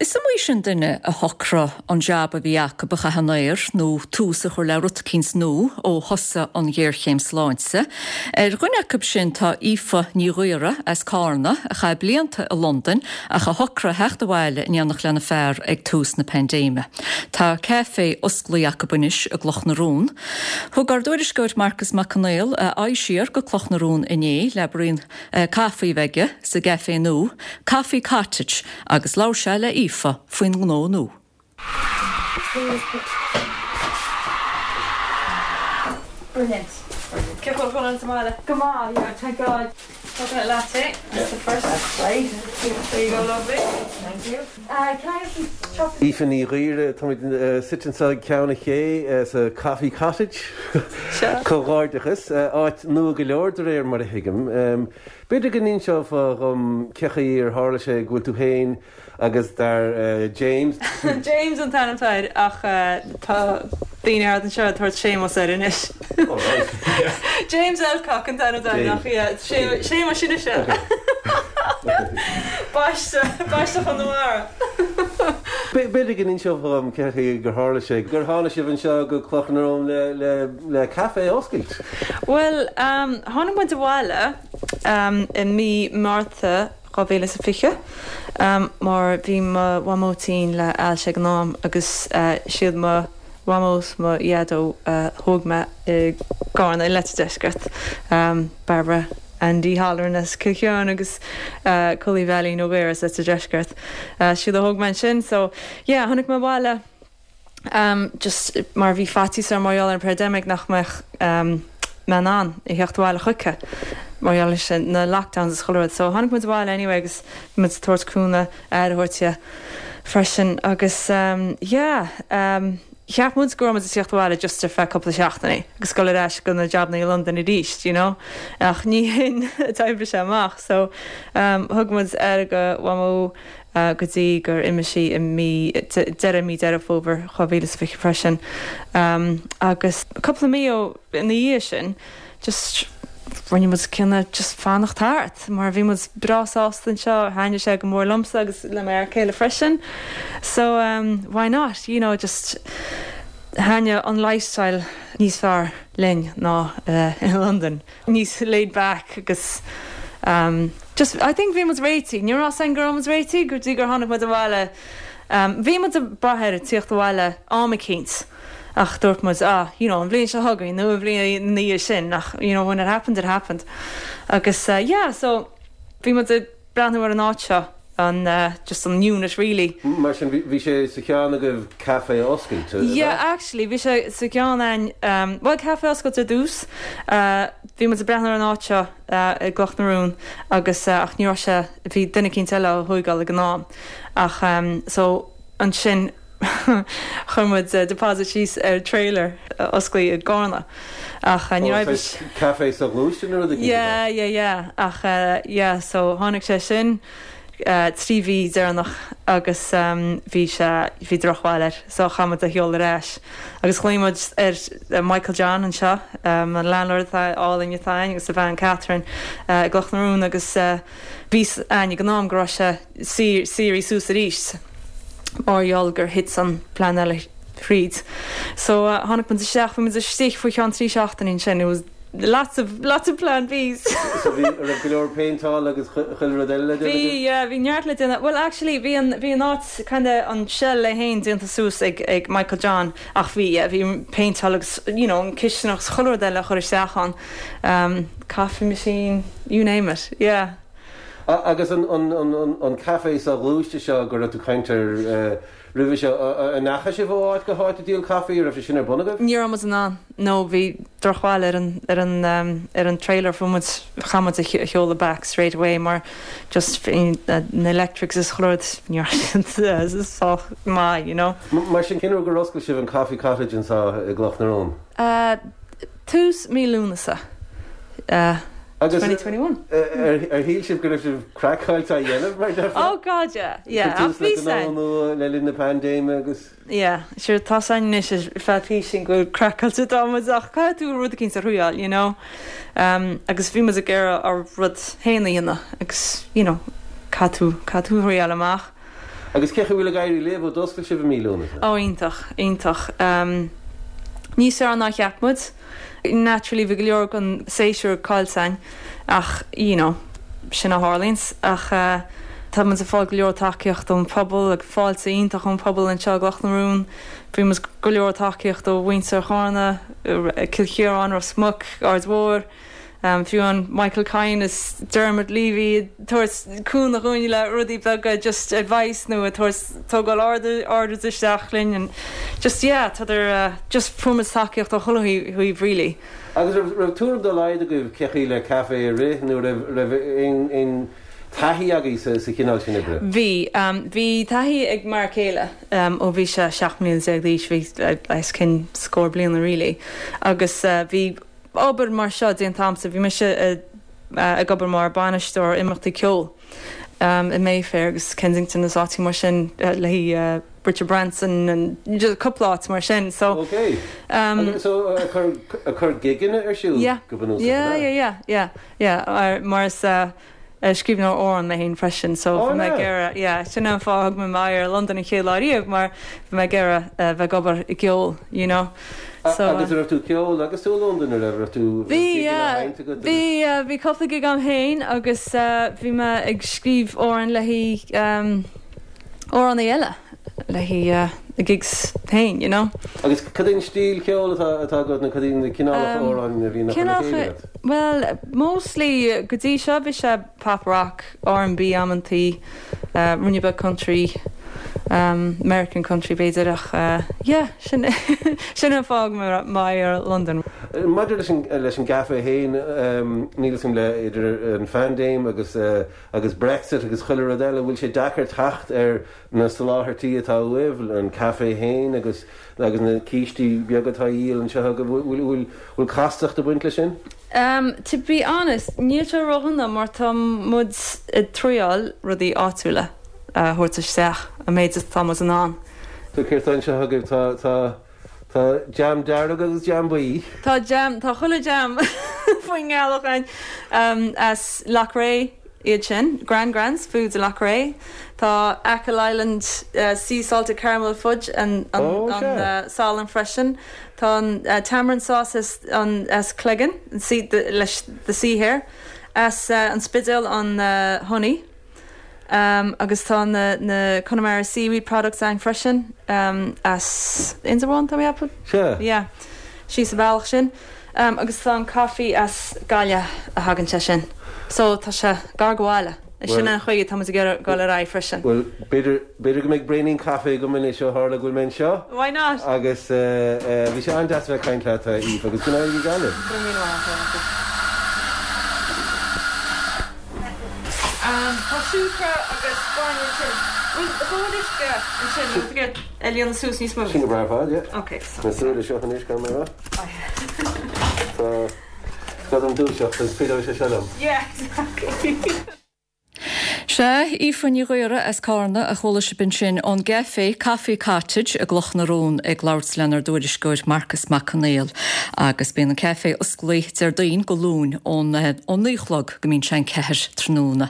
Is iomaí sin duine a shocraigh an jab a bhí acu a chaitheamh in aer nó tús a chur le rud eicínt nua ó thosaigh an ghéarchéim sláinte. Ar dhuine acu sin tá Aoife Ní Ghaora as Cárna, a chaith blianta i Londain ach a shocraigh theacht abhaile in éineacht lena fear ag tús na paindéime. Tá caifé osclaithe acu anois i gCloch na Rón. Thug ár dtuairisceoir Marcus Mac Conghail a aghaidh siar go Cloch na Rón inné le braon caife a bheith aige sa gcaifé nua, Coffee Cottage, agus labhair sé le Aoife faoin ngnó nua. Brilliant. Cén chaoi a bhfuil sa mbaile? Go maith, yeah, thank God. Coconut latte, that's the first. That's great. There you go, lovely. Thank you. Uh, can I have some chocolate? Aoife Ní Ghaora, táimid suite anseo ag Ceann an Ché sa Coffee Cottage. Seo. Comhghairdeachas, áit nua go leor de réir mar a thuigim. B'fhéidir go n-inseofá dhom cé chaoi ar tharla sé go bhfuil tú féin agus d'fhear James. James an t-ainm atá air ach tá daoine thart anseo ag tabhairt Séamus air anois. Oh right. James Elcock an t-ainm atá air ach yeah Séamus sin ise. Baiste, baiste Chonamara. B'fhéidir go n-inseofá dhom cé chaoi gur tharla sé gur tháinig sibh anseo go Cloch na Rón le le le caife a oscailt. Bhuel, tháinig muid abhaile i mí Márta 2020 mar bhí mo mhamó tinn le ailse ag an am agus siad mo mhamó 's mo dhaideo a thóg mé i gCarna i Leitir Deiscirt, Barbara Andy Holleran as Cill Chiaráin agus Collie Bheailín Ó Gaora as Leitir Deiscirt. Siad a thóg mé ansin so yeah tháinig mé abhaile. just mar bhí faitíos orm mar gheall ar an pandemic nach mbeadh mé in ann a theacht abhaile chuici mar gheall leis na lockdowns is chuile rud. So tháinig muid abhaile anyway agus bhí muid ag tabhairt cúnamh, aire a thabhairt di freisin agus yeah cheap muid go raibh muid ag tíocht abhaile just ar feadh cúpla seachtainí agus dul ar ais go na jabanna i Londain arís, you know ach ní hin a d'oibrigh sé amach so thug muid aire do Mhamó go dtí gur imigh sí i mí, deireadh mí Deireadh Fómhair 2020 freisin. Agus cúpla mí ó ina dhiaidh sin just rinne muid cinneadh just fanacht thart mar bhí muid breá sásta anseo, thaitnigh sé go mór liomsa agus le m'fhear céile freisin. So why not, you know, just thaitnigh an lifestyle níos fearr linn ná i Londain. níos laid back agus just I think bhí muid réitithe, ní raibh a fhios againn go raibh muid réitithe go dtí gur tháinig muid abhaile. Bhí muid ag brath ar tíocht abhaile am eicínt ach dúirt muid ah you know an bhliain seo chugainn nó an bhliain ina dhiaidh sin ach you know when it happened it happened agus yeah so bhí muid ag breathnú ar an áit seo, an just an unit really. Mar sin bhí sé sa cheann agaibh caife a oscailt, ab ea? Yeah actually bhí sé sa gceann againn, bhuel caife a oscailt ar dtús, bhí muid ag breathnú ar an áit seo i gCloch na Rón agus ach ní raibh sé, bhí duine eicínt eile á thóigeáil ag an am ach so ansin Chuir muid deposit síos ar trailer a osclaíodh i gCarna ach ní raibh. Ó, saghas caife soghluaiste nó rud eicínt ab ea? Yeah, yeah, yeah ach yeah so tháinig sé sin 3 mhí deireanach agus bhí sé, bhí drochbhail air so chaith muid é a sheoladh ar ais agus ghlaoigh muid ar Michael John anseo, an landlord atá álainn atá againn agus a bhean Catherine i gCloch na Rón agus bhí 'fhios againn ag an am go raibh sé saothraithe suas arís mar gheall gur thit an plean eile thríd. So tháinig muid isteach, bhí muid istigh faoi cheann 3 seachtainí ansin, it was lots of, lots of plan Bs. So bhí, raibh go leor péinteáil agus chuile rud eile le déanamh agaibh? Bhí, yeah, bhí neart le déanamh. Well actually bhí an, bhí an áit kind of an shell é féin déanta suas ag, ag Michael John ach bhí, yeah, bhí péinteáil agus you know an cistineach agus chuile rud eile a chur isteach ann. Um, coffee machine, you name it, yeah. Agus an caife soghluaiste seo go raibh tú ag caint air roimhe seo, an ndeachaigh sibh ó áit go háit ag díol caife? An raibh sé sin ar bun agaibh? Ní raibh muid in ann, no, bhí drochbhail ar an, ar an, ar an trailer, fuair muid, chaith muid é a sheoladh back straight away mar just bhí na electrics is chuile rud, ní raibh siad sách maith, you know. Mar sin, cén uair gur oscail sibh an Coffee Cottage anseo i gCloch na Rón? Tús mí Lúnasa. Agus 2021. ar shíl sibh go raibh sibh craiceáilte á dhéanamh mar déarfá? Oh God yeah, yeah. Ag tús le gnó nua le linn na paindéime agus. Yeah, sure tá 's againn anois ar feadh písín go bhfuil craiceáilte atá muid ach caithfidh tú rud eicínt a thriáil, you know. Um, agus bhí muid ag iarraidh ár rud féin a dhéanamh agus, you know, caithfidh tú, caithfidh tú thriáil amach. Agus cé chaoi a bhfuil ag éirí libh ó d'oscail sibh i mí Lúnasa? Ó iontach, iontach. Níos fearr ná cheap muid. Naturally bhí go leor den séasúr caillte againn ach you know sin a tharlaíonns. Ach tá muid ag fáil go leor tacaíocht ón phobal ag fáilte iontach ón phobal anseo i gCloch na Rún. Fuair muid go leor tacaíocht ó mhuintir Chárna, Cill Chiaráin, Ros Muc, Aird Mhór. Fiú an Michael Kyne is Dermot Leavy ag tabhairt cúnamh dhúinn le rudaí beaga, just advice nó ag tabhairt tógáil orders isteach linn and just yeah tádar just fuair muid tacaíocht ó chuile thaobh really. Agus raibh raibh tuairim dá laghad agaibh cé chaoi le caife a rith nó raibh raibh aon aon taithí agaibh sa sa chineál sin oibre? Bhí, bhí taithí ag m'fhear céile ó bhí sé 17 mbliana d'aois, bhí os cionn scór bliana really agus bhí obair mar seo déanta a'msa. Bhí mise ag obair mar bainisteoir imeachtaí ceoil i Mayfair agus Kensington agus áiteacha mar sin le haghaidh Richard Branson and just cúpla áit mar sin. So Ok. So ag cur ag cur gigeanna ar siúl go bunúsach, Yeah, yeah, yeah, yeah, yeah. Mar is scríbhneoir amhrán mé féin freisin so bhí mé ag iarraidh, yeah, sin an fáth a thug mé m'aghaidh ar Londain an chéad lá riamh mar bhí mé ag iarraidh bheith ag obair i gceol, you know. So. Agus an raibh tú ag ceol agus tú i Londain, an raibh, raibh tú, raibh Bhí, gigeanna á yeah, sheinnt agat agus. bhí, yeah, bhí cúpla gig a'm féin agus bhí mé ag scríobh amhráin le haghaidh amhránaí eile. Le haghaidh na gigs féin, you know. Agus cad é an stíl cheoil atá atá agat nó cad iad na cineálacha amhráin a bhíonn á chur le chéile agat? Bhuel, mostly go dtí seo bhí sé pop rock, R&B amantaí, ruainne beag country, American country b'fhéidir ach yeah, sin sin an fáth a thug mé m'aghaidh ar Londain. Maidir leis an leis an gcaife féin, níl 'fhios a'm le idir an phaindéim agus agus Brexit agus chuile rud eile, bhfuil sé deacair teacht ar na soláthairtí atá uaibh, an caife féin agus agus na cístí beaga atá á dhíol anseo agaibh, bhfuil bhfuil castacht ag baint leis sin? Um to be honest, níl sé ródhona mar tá muid ag triáil rudaí áitiúla a thabhairt isteach an méid is atá muid in ann. So céard atá anseo agaibh? Tá tá tá jam dearg agus jam buí. Tá jam, tá chuile jam faoin ngealach againn as Loughrea. iad sin, Grand Grans Foods i Loughrea. Tá Achill Island Sea Salted Caramel Fudge an salann freisin. Tá an Tamarind Sauce as as Cleggan leis the Sea Hare. As an Spidéal an Honey. Agus tá na Connemara Seaweed Products ann freisin as Indreabhán tá mé ag ceapadh? Sea. Yeah. Síos an bealach sin. Agus tá an coffee as Gaillimh a thagann sé sin. So tá sé gar do bhaile. Sin an chaoi atá muid ag iarraidh dul ar aghaidh freisin. Bhuel, b'fhéidir, b'fhéidir go mbeidh braoinín caife agam anois ó tharla go bhfuil mé anseo. Why not? Agus bhí sé an-deas a bheith ag caint leat, a Aoife, agus go n-éirí Gaillimh. Go raibh míle maith agat. Tá siúcra agus bainne ansin. Bhfuil dhóthain uisce ansin nó tú ag líonadh suas níos mó? Sin go breá ar fad, yeah. Ok, so. Na súile seo anois, gan mé a rá. Tá, tá dom dúiseacht agus cuideoidh sé seo liom. Yeah, exactly. Sea, Aoife Ní Ghaora as Cárna a chuala sibh ansin ón gcaifé Coffee Cottage i gCloch na Rón ag labhairt lenár dtuairisceoir Marcas Mac Conghail. Agus bíonn an caifé osclaí Déardaoin go Luan ón 9 a chlog go mbíonn sé an 4 tráthnóna.